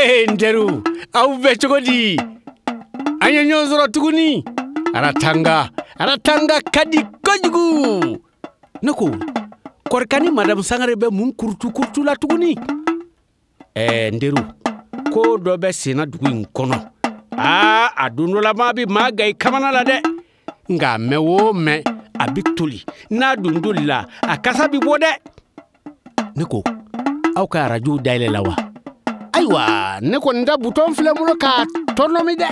Ee n teriw, aw bɛ cogo di? An ye ɲɔgɔn sɔrɔ tuguni. Aratanga, Aratanga ka di kojugu. Ne ko, Kɔrika ni Madamu Sangare bɛ mun kurutu kurutu la tuguni? Ɛɛ n teriw, ko dɔ bɛ senna dugu in kɔnɔ. Aa, a don dɔ la maa bɛ maa gan i kamana la dɛ. Nka a mɛn o mɛn, a bɛ toli. N'a dun tolila, a kasa bɛ bɔ dɛ. Ne ko, aw ka arajow dayɛlɛ la wa? Ayiwa, ne kɔni ta butɔn filɛ n bolo k'a tɔnɔmi dɛ.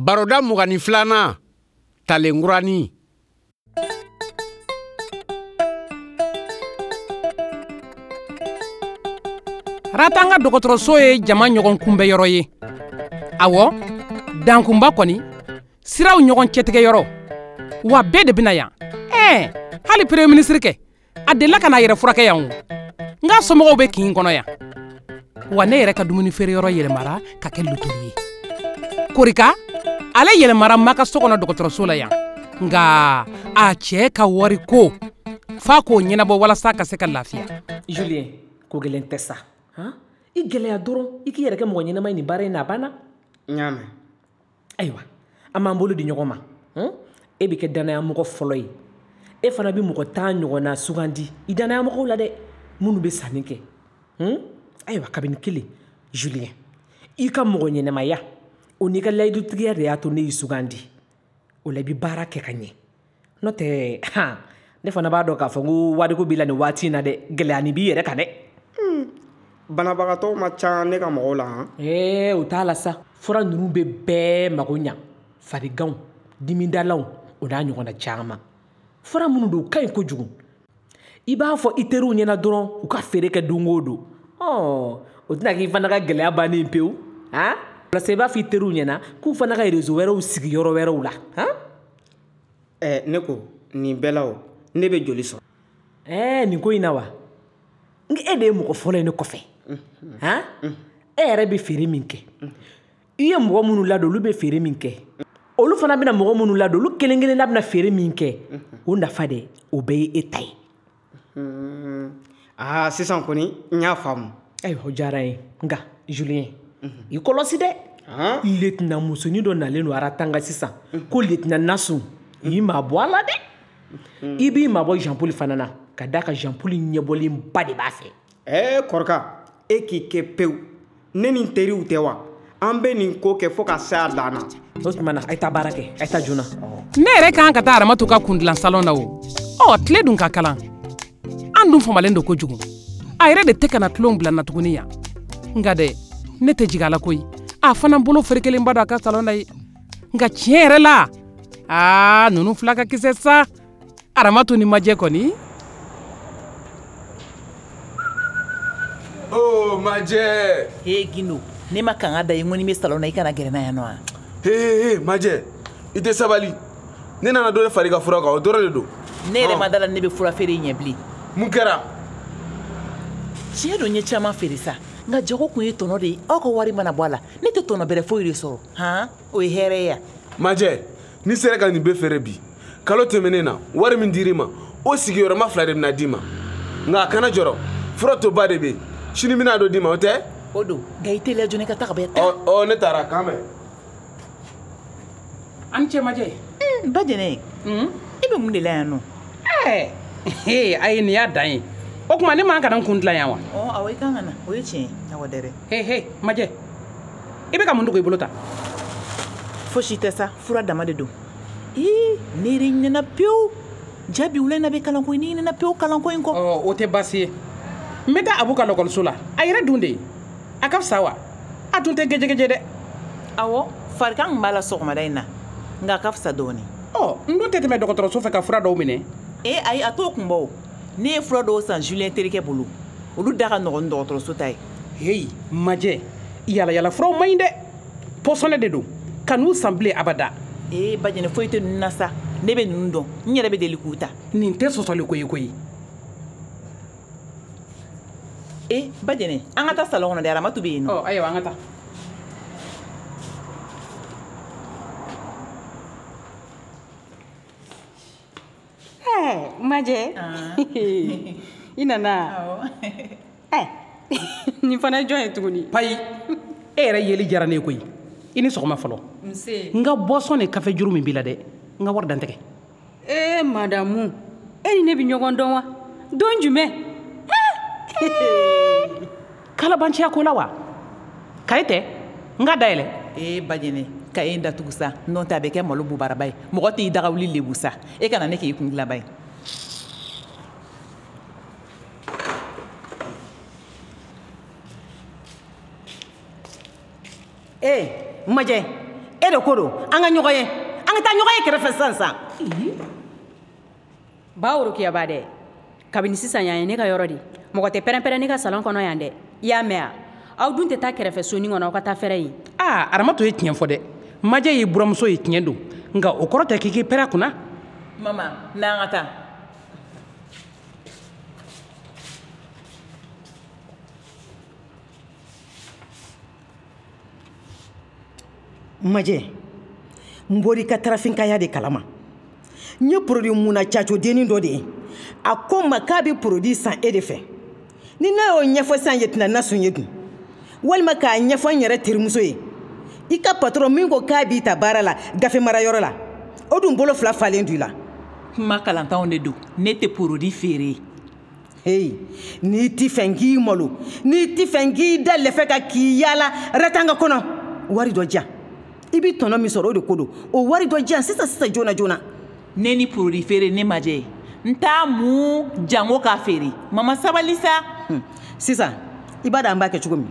Baroda 22nan, Talenkuranin. Ratanga dɔgɔtɔrɔso ye jama ɲɔgɔn kunbɛyɔrɔ ye. Awɔ, dankunba kɔni, siraw ɲɔgɔn cɛtigɛyɔrɔ. Wa bɛɛ de bɛna yan. Ɛɛ, hali premier ministre kɛ, a delila ka n'a yɛrɛ furakɛ yan o. N ka somɔgɔw bɛ kin kɔnɔ yan. Wa ne yɛrɛ ka dumuni feereyɔrɔ yɛlɛmara ka kɛ lotoli ye. Korika, ale yɛlɛmara ma ka so kɔnɔ dɔgɔtɔrɔso la yan. Nka a cɛ ka wari ko f'a k'o ɲɛnabɔ walasa ka se ka lafiya. Julien, ko gɛlɛn tɛ sa. Han? I gɛlɛya dɔrɔn, i k'i yɛrɛ kɛ mɔgɔ ɲɛnama ye nin baara in na, a banna. N y'a mɛn. Ayiwa, an b'an bolo di ɲɔgɔn ma. E bɛ kɛ dannayamɔgɔ fɔlɔ ye. E fana bɛ mɔgɔ 10 ɲɔgɔnna sugandi i dannayamɔgɔw la dɛ, minnu bɛ sanni kɛ. Ayiwa, kabini kelen, Julien, i ka mɔgɔ ɲɛnamaya, o n'i ka layidutigiya de y'a to ne y'i sugandi. O la i bɛ baara kɛ ka ɲɛ. N'o tɛ, han, ne fana b'a dɔn k'a fɔ ko wariko b'i la nin waati in na dɛ, gɛlɛya nin b'i yɛrɛ kan dɛ. Banabagatɔw ma ca ne ka mɔgɔw la, han? Ee, o t'a la sa. Fura ninnu bɛ bɛɛ mago ɲa. Fariganw, dimidalaw, o n'a ɲɔgɔnna caman. Fura minnu don, u ka ɲi kojugu. I b'a fɔ i teriw ɲɛna dɔrɔn u ka feere kɛ don o don. Ɔ, o tɛna k'i fana ka gɛlɛya bannen pewu, han? Walasa i b'a fɔ i teriw ɲɛna k'u fana ka réseau wɛrɛw sigi yɔrɔ wɛrɛw la, han? Ɛ, ne ko, nin bɛɛ la o, ne bɛ joli sɔrɔ? Ɛ, nin ko in na wa? N e de ye mɔgɔ fɔlɔ ye ne kɔfɛ. Han? E yɛrɛ bɛ feere min kɛ. I ye mɔgɔ minnu ladon, olu bɛ feere min kɛ. Olu fana bɛna mɔgɔ minnu ladon, olu kelen kelenna bɛna feere min kɛ. O nafa de, o bɛɛ ye e ta ye. Aa, sisan kɔni, n y'a faamu. Ayiwa, o diyara n ye. Nka, Julien, i kɔlɔsi dɛ. Lieutenant musonin dɔ nalen don Aratanga sisan. Ko lieutenant Nasu, i ma bɔ a la dɛ. I b'i mabɔ Jean Paul fana na, ka d'a kan Jean Paul ɲɛbɔlenba de b'a fɛ. Ɛɛ, Kɔrika, e k'i kɛ pewu. Ne ni n teriw tɛ wa? An bɛ nin ko kɛ fo ka se a dan na. O tuma na, a ye taa baara kɛ, a ye taa joona. Ne yɛrɛ kan ka taa Aramatu ka kundilan salon na o. Ɔ, tile dun ka kalan. An dun famalen don kojugu. A yɛrɛ de tɛ ka na tulon bila n na tuguni yan. Nka dɛ, ne tɛ jigin a la koyi. A fana bolo ferekelenba don a ka salon na ye. Nka tiɲɛ yɛrɛ la, aa, ninnu fila ka kisɛ sa. Aramatu ni majɛ kɔni. Oh, majɛ. He, Gindo, ne ma kanga da i ŋɔni bɛ salon na, i kana gɛrɛ n na yan nɔ wa? He, he, he, majɛ, i tɛ sabali. Ne nana dɔ de fara i ka fura kan, o dɔrɔn de don. Ne yɛrɛ ma da la ne bɛ fura feere ɲɛ bilen. Mun kɛra? Tiɲɛ don, n ye caman feere sa. Nka jago kun ye tɔnɔ de ye. Aw ka wari mana bɔ a la, ne tɛ tɔnɔ bɛrɛ foyi de sɔrɔ. Han, o ye hɛrɛ ye ya. Majɛ, n'i sera ka nin bɛɛ feere bi, kalo tɛmɛnen na, wari min dir'i ma, o sigiyɔrɔma 2 de bɛna d'i ma. Nka a kana jɔrɔ, fura toba de bɛ yen. Sini n bɛna dɔ d'i ma, o tɛ? O don, nka i teliya joona i ka taa ka bɔ yan. Ɔ, ɔ, ne taara, k'an bɛn. An ni ce majɛ. Ba Jɛnɛ, i bɛ mun de la yan nɔ? Ɛɛ, a ye nin y'a dan ye. O tuma ne man ka na n kun dilan yan wa? Ɔ awɔ, i kan ka na, o ye tiɲɛ ye. Awɔ dɛrɛ. He he, Majɛ, i bɛ ka mun dogo i bolo ta? Fosi tɛ sa, fura dama de don. Ee, ne yɛrɛ ɲinɛna pewu. Jabi wula in na bɛ kalanko in, ne ɲinɛna pewu kalanko in kɔ. Ɔ, o tɛ baasi ye. N bɛ taa Abu ka lɔkɔliso la. A yɛrɛ dun de ye. A ka fisa wa? A tun tɛ gɛjɛgɛjɛ dɛ. Awɔ, farigan tun b'a la sɔgɔmada in na, nka a ka fisa dɔɔnin. Ɔ, n dun tɛ tɛmɛ dɔgɔtɔrɔso fɛ ka fura dɔw minɛ. Ee ayi, a t'o kun bɔ o. Ne ye fura dɔw san Julien terikɛ bolo. Olu da ka nɔgɔn ni dɔgɔtɔrɔso ta ye. Heyi, Majɛ, yalayala furaw man ɲi dɛ. Pɔsɔnɛ de don. Kan'u san bilen abada. Ee Bajɛnɛ, foyi tɛ ninnu na sa. Ne bɛ ninnu dɔn. N yɛrɛ bɛ deli k'u ta. Nin tɛ sɔsɔli ko ye koyi. Ee Bajɛnɛ, an ka taa salon kɔnɔ dɛ, Aramatu bɛ yen nɔ. Ɔ ayiwa, an ka taa. Ɛɛ Majɛ, i nana? Ɛ nin fana ye jɔn ye tuguni? Payi, e yɛrɛ yeli diyara ne ye koyi. I ni sɔgɔma fɔlɔ. Nse. N ka boisson ni kafe juru min b'i la dɛ, n ka wari dantigɛ. Ee madamu, e ni ne bɛ ɲɔgɔn dɔn wa? Don jumɛn? Kalabanciya ko la wa? Kaye tɛ? N ka dayɛlɛ. Ee Bajɛnɛ, kaye in datugu sa, n'o tɛ a bɛ kɛ malo bubaraba ye. Mɔgɔ t'i daga wuli lebu sa. E kana ne k'i kun dilanba ye. Ee Majɛ, e de ko don an ka ɲɔgɔn ye, an ka taa ɲɔgɔn ye kɛrɛfɛ sisan sisan. Ba Worokiyaba dɛ, kabini sisan yan ye ne ka yɔrɔ de. Mɔgɔ tɛ pɛrɛn-pɛrɛn ne ka salon kɔnɔ yan dɛ. I y'a mɛn wa? Aw dun tɛ taa kɛrɛfɛ sonin kɔnɔ, aw ka taa fɛrɛ yen. Aa, Aramatu ye tiɲɛ fɔ dɛ. Majɛ y'i buramuso ye, tiɲɛ don, nka o kɔrɔ tɛ k'i k'i pɛrɛn a kunna. Mama, n'an ka taa. Majɛ, n bɔra i ka tarafinkaya de kalama. N ye produit munna cacodennin dɔ de ye. A ko n ma k'a bɛ produit san e de fɛ. Ni ne y'o ɲɛfɔ sisan Yetina Nasun ye dun, walima k'a ɲɛfɔ n yɛrɛ terimuso ye, i ka patron min ko k'a b'i ta baara la gafe marayɔrɔ la, o dun bolo fila falen don i la. Kuma kalantanw de don, ne tɛ produit feere. Hey, n'i ti fɛ n k'i malo, n'i ti fɛ n k'i da lɛfɛ ka k'i yaala ratanga kɔnɔ, wari dɔ diyan. I bɛ tɔnɔ min sɔrɔ o de ko don. O wari dɔ diyan sisan sisan joona joona. Ne ni produit feere ne Majɛ, n t'a mun jango k'a feere. Mama sabali sa. Sisan i b'a dɔn an b'a kɛ cogo min.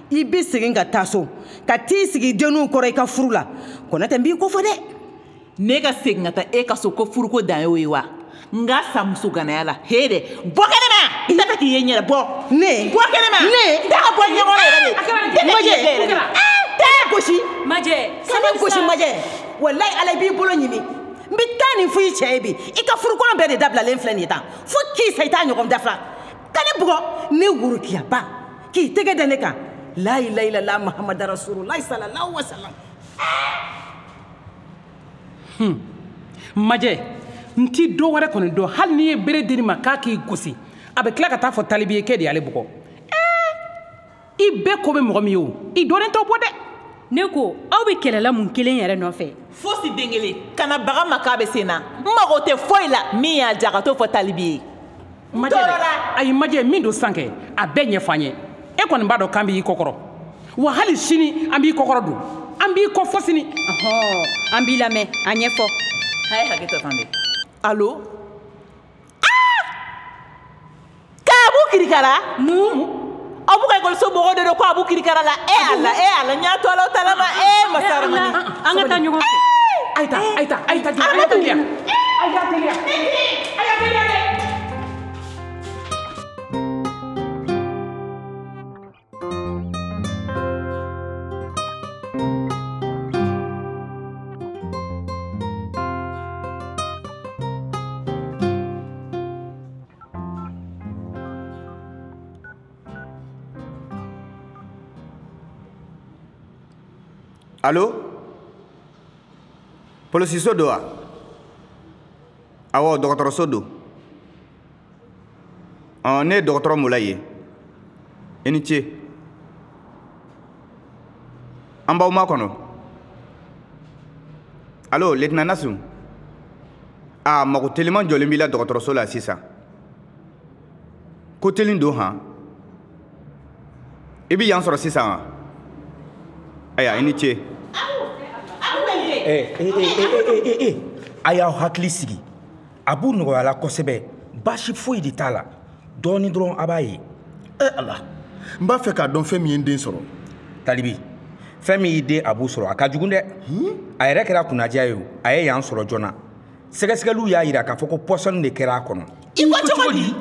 I bɛ segin ka taa so, ka t'i sigi denninw kɔrɔ i ka furu la. Kɔnɔ tɛ n b'i ko fɔ dɛ. Ne ka segin ka taa e ka so ko furuko dan y'o ye wa? N ka sa muso ganaya la. He dɛ, bɔ kɛnɛma! N t'a fɛ k'i ye n ɲɛna, bɔ. Ne? Bɔ kɛnɛma! Ne? N t'a ka bɔ ɲɛkɔrɔ yɛrɛ de. N t'a fɛ k'i ye yɛrɛ de. Taa gosi. Majɛ, ka ne gosi Majɛ. Walayi Ala, i b'i bolo ɲimi. N bɛ taa nin fɔ i cɛ ye bi. I ka furukolon bɛɛ de dabilalen filɛ nin ye tan. Fo k'i sa i t'a ɲɔgɔn dafa. Ka ne bugɔ, ne Worokiyaba, k'i tɛgɛ da ne kan. La ilaha illallah Muhammadu Rasulullah sallallahu alaihi wasallam. Majɛ, n ti dɔ wɛrɛ kɔni dɔn, hali n'i ye bere di ma k'a k'i gosi, a bɛ tila ka taa fɔ talibi ye k'e de y'ale bugɔ. I bɛɛ ko bɛ mɔgɔ min ye o, i dɔnnen t'o bɔ dɛ. Ne ko aw bɛ kɛlɛla mun kelen yɛrɛ nɔfɛ? Fosi den kelen, kana baga ma k'a bɛ sen na. N mago tɛ foyi la min y'a ja ka t'o fɔ talibi ye. Majɛ dɛ, ayi Majɛ, min don sisan kɛ, a bɛɛ ɲɛfɔ an ye. E kɔni b'a dɔn k'an b'i kɔkɔrɔ. Wa hali sini an b'i kɔkɔrɔ don. An b'i kɔ fo sini. Ɔhɔ, an b'i lamɛn, a ɲɛfɔ. A ye hakɛ to fan bɛɛ. Allo? Ah! K'Abu kirikara? Mun? Abu ka ekɔliso mɔgɔw de don ko Abu kirikara la. E Ala, e Ala, n y'a to Ala ta la ma. E masa Ramani. An ka taa ɲɔgɔn fɛ. Ayi taa, ayi taa, ayi taa, ayi teliya. Ayi taa teliya. Ayi teliya dɛ. Allo? Polisiso don wa? Awɔ, dɔgɔtɔrɔso don. Ɔ, ne ye dɔgɔtɔrɔ Mulayi ye. I ni ce. An b'aw makɔnɔ. Allo, lieutenant Nasu? Aa, mago teliman jɔlen b'i la dɔgɔtɔrɔso la sisan. Ko telin don han? I bɛ yan sɔrɔ sisan wa? Ayiwa, i ni ce. A y'aw hakili sigi. Abu nɔgɔyala kosɛbɛ, baasi foyi de t'a la. Dɔɔnin dɔrɔn a b'a ye. E Ala, n b'a fɛ k'a dɔn fɛn min ye n den sɔrɔ. Talibi, fɛn min y'i den Abu sɔrɔ, a ka jugu dɛ. A yɛrɛ kɛra kunnadiya ye o, a ye yan sɔrɔ joona. Sɛgɛsɛgɛliw y'a jira k'a fɔ ko pɔsɔni de kɛra a kɔnɔ. I ko cogo di?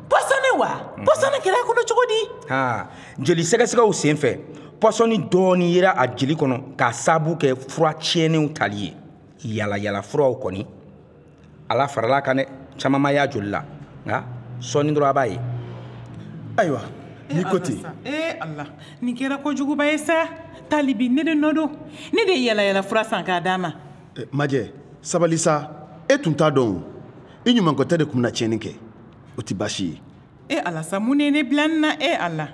Pɔsɔni wa? Pɔsɔni kɛra a kɔnɔ cogo di? Haa, jeli sɛgɛsɛgɛw senfɛ, pɔsɔni dɔɔni yera a jeli kɔnɔ k'a sababu kɛ fura tiɲɛnenw tali ye. Yalayala furaw kɔni, Ala farala kan dɛ, caman ma y'a joli la, nka sɔɔni dɔrɔn a b'a ye. Ayiwa, n'i ko ten. Ee Ala, nin kɛra kojuguba ye sa. Talibi, ne de nɔ don. Ne de ye yalayala fura san k'a d'a ma. Majɛ, sabali sa. E tun t'a dɔn o. I ɲumankɔtɛ de tun bɛna tiɲɛni kɛ. O tɛ baasi ye. E Ala sa, mun de ye ne bila nin na? E Ala,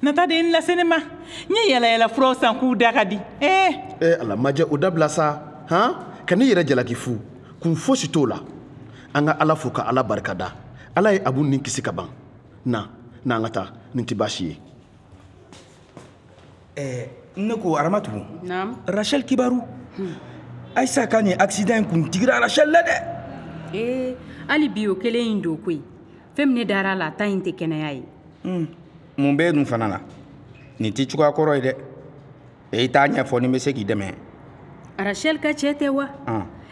nata de ye nin lase ne ma. N ye yalayala furaw san k'u da ka di. Ee. E Ala, Majɛ, o dabila sa. Han, ka n'i yɛrɛ jalaki fu. Kun fosi t'o la. An ka Ala fo ka Ala barika da. Ala ye Abu ni kisi ka ban. Na, na an ka taa. Nin tɛ baasi ye. Ne ko Aramatu. Naam. Rachel kibaru. Ayisa ka nin accident in kun digira Rachel la dɛ. Ee, hali bi o kelen in don koyi. Fɛn min ne dara a la, a ta in tɛ kɛnɛya ye. Mun b'e dun fana la? Nin tɛ cogoya kɔrɔ ye dɛ. E t'a ɲɛfɔ ni n bɛ se k'i dɛmɛ. Rachel ka cɛ tɛ wa?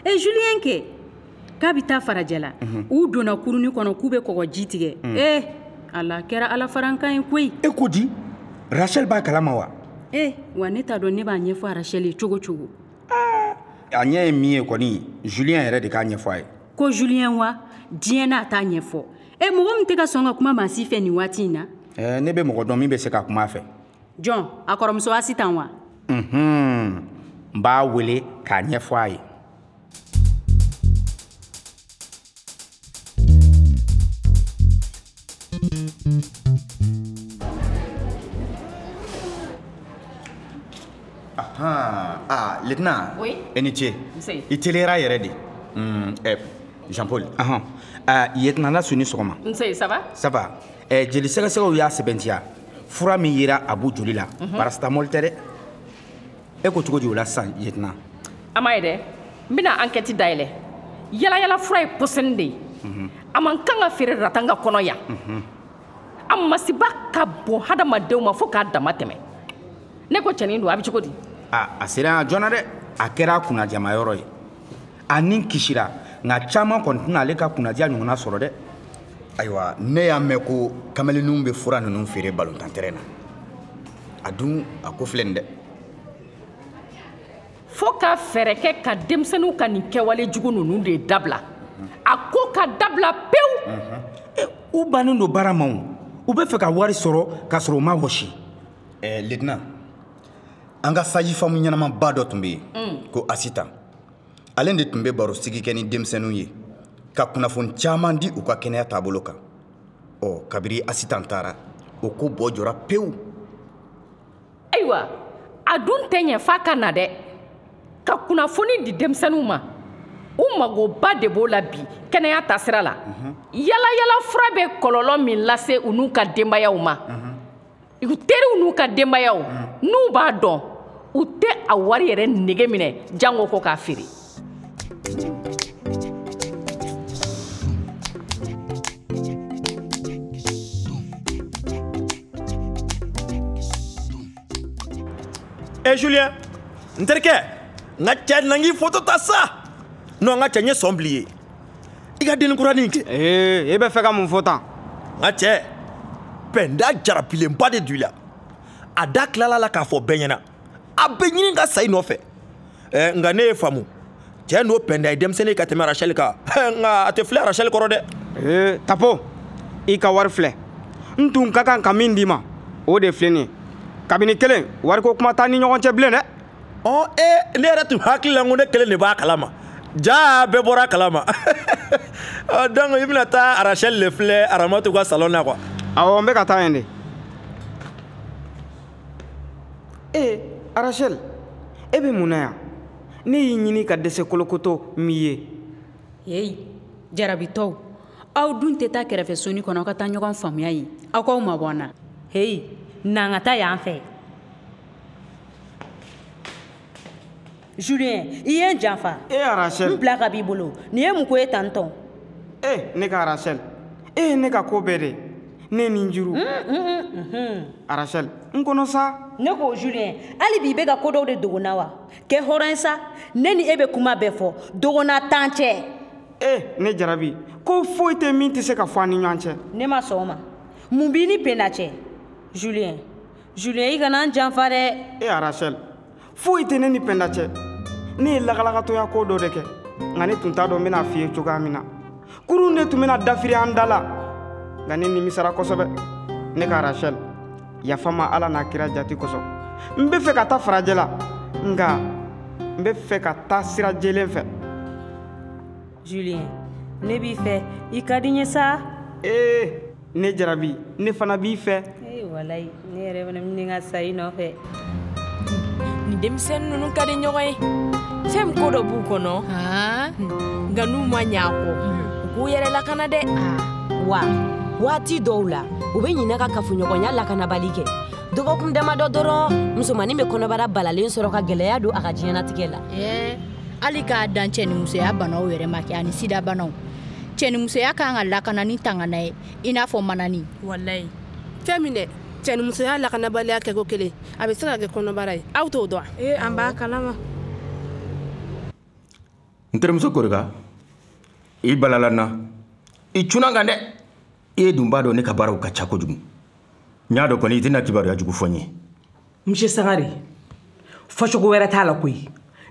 E Julien kɛ k'a bɛ taa farajɛla. U donna kurunin kɔnɔ k'u bɛ kɔgɔji tigɛ. Ee, ala kɛra Ala farankan ye koyi. E ko di? Rachel b'a kalama wa? Ee, wa ne t'a dɔn ne b'a ɲɛfɔ Rachel ye cogo cogo. A ɲɛ ye min ye kɔni, Julien yɛrɛ de k'a ɲɛfɔ a ye. Ko Julien wa? Diɲɛ n'a t'a ɲɛfɔ. E mɔgɔ min tɛ ka sɔn ka kuma maa si fɛ nin waati in na. Ne bɛ mɔgɔ dɔn min bɛ se ka kuma a fɛ. Jɔn, a kɔrɔmuso Asitan wa? N b'a wele k'a ɲɛfɔ a ye. Ah, lieutenant. Oui. E ni ce. Nse. I teliyara yɛrɛ de. Jean-Paul. Lieutenant Nasu ni sɔgɔma. Nse, ça va? Ça va. Jeli sɛgɛsɛgɛw y'a sɛbɛntiya. Fura min yera Abu joli la, paracétamol tɛ dɛ. E ko cogo di o la sisan, lieutenant? A ma ye dɛ. N bɛna enquête dayɛlɛ. Yalayala fura ye pɔsɔni de ye. A man kan ka feere Ratanga kɔnɔ yan. A masiba ka bon hadamadenw ma fo k'a dama tɛmɛ. Ne ko cɛnin don, a bɛ cogo di? A sera yan joona dɛ. A kɛra a kunnajamayɔrɔ ye. A ni kisira, nka caman kɔni tɛna ale ka kunnadiya ɲɔgɔnna sɔrɔ dɛ. Ayiwa, ne y'a mɛn ko kamalenninw bɛ fura ninnu feere balontan terrain na. A dun, a ko filɛ nin dɛ. Fo ka fɛɛrɛ kɛ ka denmisɛnninw ka nin kɛwale jugu ninnu de dabila. A ko ka dabila pewu. U bannen don baara ma o. U bɛ fɛ ka wari sɔrɔ k'a sɔrɔ u ma wɔsi. Lieutenant, an ka sage-femme ɲɛnamaba dɔ tun bɛ yen ko Asitan. Ale de tun bɛ barosigi kɛ ni denmisɛnninw ye ka kunnafoni caman di u ka kɛnɛya taabolo kan. Ɔ, kabiri Asitan taara, o ko bɔ jɔra pewu. Ayiwa, a dun tɛ ɲɛ f'a ka na dɛ. Ka kunnafoni di denmisɛnninw ma. U magoba de b'o la bi kɛnɛya taasira la. Yalayala fura bɛ kɔlɔlɔ min lase u n'u ka denbayaw ma. U teriw n'u ka denbayaw, n'u b'a dɔn, u tɛ a wari yɛrɛ nege minɛ jango ko k'a feere. Eh Julien, n terikɛ, n ka cɛ na n k'i foto ta sa. Non, n ka cɛ n ye sɔn bil'i ye. I ka denni kuranin kɛ. Ee, e bɛ fɛ ka mun fɔ tan? N ka cɛ, pɛnda jarabilenba de don i la. A da tilala la k'a fɔ bɛɛ ɲɛna. A bɛ ɲini ka sa i nɔfɛ. Nka ne ye faamu. Cɛ n'o pɛnda ye denmisɛnnin ka tɛmɛ Rachel kan. Nka a tɛ filɛ Rachel kɔrɔ dɛ. Ee, Tapo, i ka wari filɛ. N tun ka kan ka min d'i ma, o de filɛ nin ye. Kabini kelen, wariko kuma t'an ni ɲɔgɔn cɛ bilen dɛ. Ɔ, ne yɛrɛ tun hakili la ko ne kelen de b'a kalama. Ja bɛɛ bɔra a kalama. Donc i bɛna taa Rachel de filɛ Aramatu ka salon na quoi. Awɔ, n bɛ ka taa yen de. Ee, Rachel, e bɛ mun na yan? Ne y'i ɲini ka dɛsɛ kolokoto m'i ye. Heyi, jarabitɔw, Aw dun tɛ taa kɛrɛfɛ soni kɔnɔ aw ka taa ɲɔgɔn faamuya yen. Aw k'aw mabɔ an na. Heyi, na an ka taa yan fɛ. Julien, i ye n janfa. E Rachel. N bila ka b'i bolo. Nin ye mun ko ye tan tɔn? E ne ka Rachel, e ye ne ka ko bɛɛ de. Ne ni n juru. Rachel, n kɔnɔ sa. Ne ko Julien, hali bi i bɛ ka ko dɔw de dogo n na wa? Kɛ hɔrɔn ye sa. Ne ni e bɛ kuma bɛɛ fɔ. Dogona t'an cɛ. E ne jarabi, ko foyi tɛ min tɛ se ka fɔ an ni ɲɔgɔn cɛ. Ne ma sɔn o ma. Mun b'i ni Penda cɛ? Julien, Julien i kana n janfa dɛ. E Rachel, foyi tɛ ne ni Penda cɛ. Ne ye lakalakatɔya ko dɔ de kɛ, nka ne tun t'a dɔn n bɛna f'i ye cogoya min na. Kurun de tun bɛna dafiri an da la, nka ne nimisara kosɛbɛ. Ne ka Rachel, yafa ma Ala n'a kira jati kosɔn. N bɛ fɛ ka taa farajɛ la, nka n bɛ fɛ ka taa sira jɛlen fɛ. Julien, ne b'i fɛ, i ka di n ye sa. Ee, ne jarabi, ne fana b'i fɛ. Ee walayi, ne yɛrɛ fana bɛ ka sa i nɔfɛ. Nin denmisɛnnin ninnu ka di ɲɔgɔn ye. Fɛn min ko dɔ b'u kɔnɔ, nka n'u ma ɲɛ a kɔ, u k'u yɛrɛ lakana dɛ. Wa waati dɔw la, u bɛ ɲinɛ ka kafoɲɔgɔnya lakanabali kɛ. Dɔgɔkun damadɔ dɔrɔn, musomannin bɛ kɔnɔbara balalen sɔrɔ ka gɛlɛya don a ka diɲɛnatigɛ la. Hali k'a dan cɛnimusoya banaw yɛrɛ ma kɛ ani sida banaw. Cɛnimusoya kan ka lakana ni tangana ye i n'a fɔ manani. Walayi. Fɛn min dɛ, cɛnimusoya lakanabaliya kɛko kelen, a bɛ se ka kɛ kɔnɔbara ye. Aw t'o dɔn? Ee, an b'a kalama. N terimuso Korika, i balala n na. I cunna n kan dɛ. E dun b'a dɔn ne ka baaraw ka ca kojugu. N y'a dɔn kɔni i tɛna kibaruya jugu fɔ n ye. Monsieur Sangare, fɔcogo wɛrɛ t'a la koyi.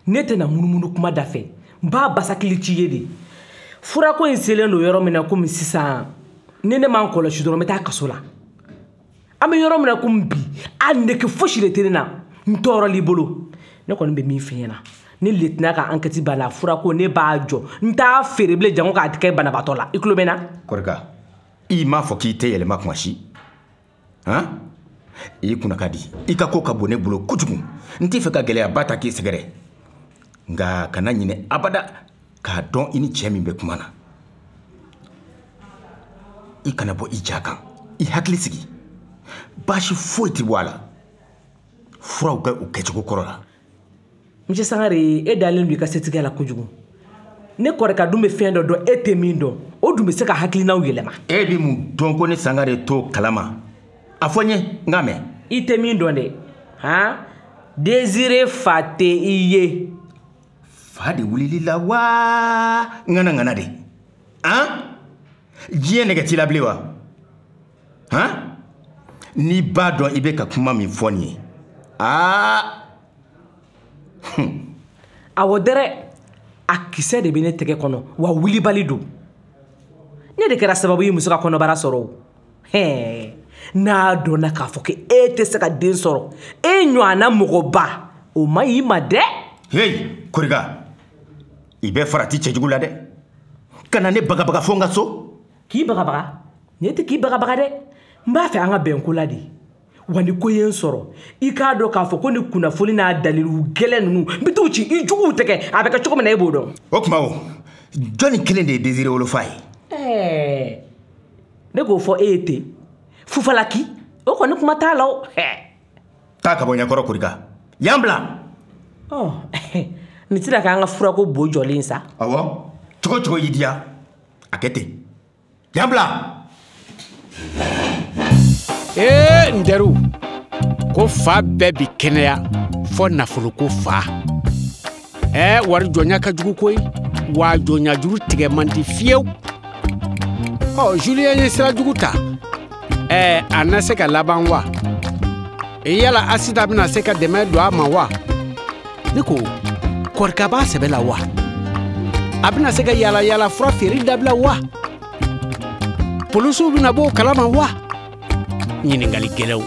Ne tɛna munumunu kuma da fɛ. N b'a basakili ci ye de. Furako in selen don yɔrɔ min na komi sisan, ni ne m'an kɔlɔsi dɔrɔn n bɛ taa kaso la. An bɛ yɔrɔ min na komi bi, a nege fosi de tɛ ne na. N tɔɔrɔl'i bolo. Ne kɔni bɛ min f'i ɲɛna, ni lieutenant ka enquête b'a la, furako ne b'a jɔ. N t'a feere bilen jango k'a kɛ banabaatɔ la. I tulo bɛ n na? Korika, i m'a fɔ k'i tɛ yɛlɛma kuma si. Han? I kunna ka di. I ka ko ka bon ne bolo kojugu. N t'i fɛ ka gɛlɛyaba ta k'i sɛgɛrɛ. Nka kana ɲinɛ abada k'a dɔn i ni cɛ min bɛ kuma na. I kana bɔ i ja kan. I hakili sigi. Baasi foyi tɛ bɔ a la. Furaw kɛ u kɛcogo kɔrɔ la. Monsieur Sangare, e dalen don i ka setigiya la kojugu. Ne Korika dun bɛ fɛn dɔ dɔn e tɛ min dɔn. O dun bɛ se ka hakilinaw yɛlɛma. E bɛ mun dɔn ko ne Sangare t'o kalama? A fɔ n ye, n k'a mɛn. I tɛ min dɔn dɛ. Han? Désiré fa tɛ i ye. Fa de wulili la wa ŋana ŋana de. Han? Diɲɛ nɛgɛ t'i la bilen wa? Han? N'i b'a dɔn i bɛ ka kuma min fɔ nin ye. Aa! Awɔ dɛrɛ, a kisɛ de bɛ ne tɛgɛ kɔnɔ wa wulibali don. Ne de kɛra sababu ye muso ka kɔnɔbara sɔrɔ o. Hɛɛ, n'a dɔnna k'a fɔ ko e tɛ se ka den sɔrɔ, e ɲɔgɔnna mɔgɔba, o man ɲi i ma dɛ. Hey, Korika, i bɛ farati cɛjugu la dɛ. Kana ne bagabaga fo n ka so. K'i bagabaga? Ne tɛ k'i bagabaga dɛ. N b'a fɛ an ka bɛn ko la de. Wa ni ko ye n sɔrɔ, i k'a dɔn k'a fɔ ko ni kunnafoni n'a dalilu gɛlɛn ninnu, n bɛ t'u ci i juguw tɛgɛ, a bɛ kɛ cogo min na e b'o dɔn. O tuma o, jɔnni kelen de ye Désiré wolofa ye? Ɛɛ, ne k'o fɔ e ye ten. Fufalaki, o kɔni kuma t'a la o. Taa ka bɔ ɲɛkɔrɔ Korika. Yan bila. Ɔ, nin tɛna k'an ka furako bo jɔlen sa. Awɔ, cogo cogo y'i diya, a kɛ ten. Yan bila. Ee n teriw, ko fa bɛɛ bi kɛnɛya fɔ nafoloko fa. Ɛɛ, wari jɔnya ka jugu koyi, wa jɔnya juru tigɛ man di fiyewu. Ɔ, Julien ye sira jugu ta. Ɛɛ, a na se ka laban wa? Yala Asita bɛna se ka dɛmɛ don a ma wa? Ne ko, Korika b'a sɛbɛ la wa? A bɛna se ka yala yala fura feere dabila wa? Polisiw bɛna bɔ o kalama wa? Ɲininkali gɛlɛnw.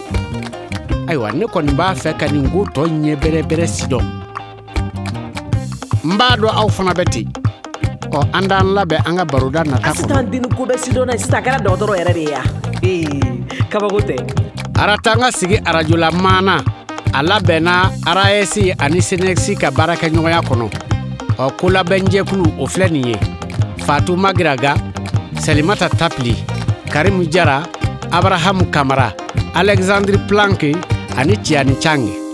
Ayiwa, ne kɔni b'a fɛ ka nin ko tɔ ɲɛ bɛrɛbɛrɛ si dɔn. N b'a dɔn aw fana bɛ ten. Ɔ, an t'an labɛn an ka baroda nata kɔnɔ. Asitan den ko bɛ sidɔn na sisan, a kɛra dɔgɔtɔrɔ yɛrɛ de ye ya. Ee, kabako tɛ. Aratanga sigi arajola maana, a labɛnna RAS ani SNES ka baarakɛɲɔgɔnya kɔnɔ. Ɔ, kolabɛnjɛkulu o filɛ nin ye: Fatu Magiraga, Salimata Tapili, Karimu Jara, Abrahamu Kamara, Alexandre Planck ani Tiani Chang.